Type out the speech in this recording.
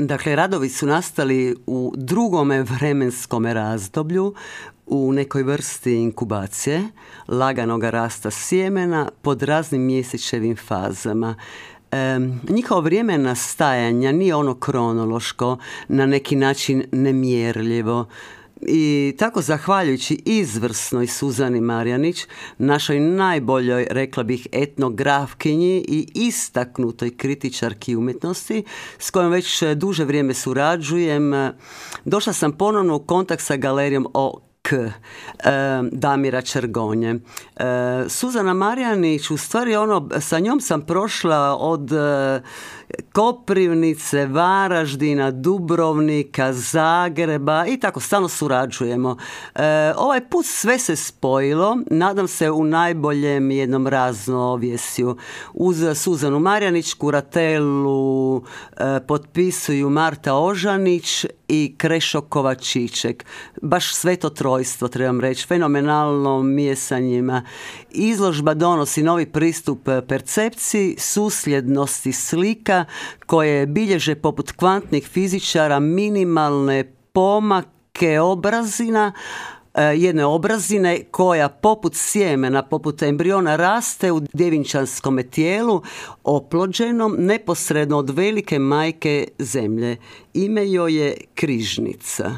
Dakle, radovi su nastali u drugome vremenskome razdoblju, u nekoj vrsti inkubacije, laganoga rasta sjemena pod raznim mjesečevim fazama. Njihovo vrijeme nastajanja nije ono kronološko, na neki način nemjerljivo. I tako, zahvaljujući izvrsnoj Suzani Marjanić, našoj najboljoj, rekla bih, etnografkinji i istaknutoj kritičarki umjetnosti, s kojom već duže vrijeme surađujem, došla sam ponovno u kontakt sa galerijom Damira Čergonje. Suzana Marjanić, u stvari sa njom sam prošla od Koprivnice, Varaždina, Dubrovnika, Zagreba i tako stalno surađujemo. Ovaj put sve se spojilo, nadam se u najboljem jednom raznovjesju. Uz Suzanu Marjanić kuratelu potpisuju Marta Ožanić i Krešo Kovačiček. Baš sveto trojstvo, trebam reći, fenomenalno mijesanjima. Izložba donosi novi pristup percepciji, susljednosti slika koje bilježe poput kvantnih fizičara minimalne pomake obrazina, jedne obrazine koja poput sjemena, poput embriona raste u djevinčanskome tijelu oplođenom neposredno od velike majke zemlje. Ime joj je Križnica.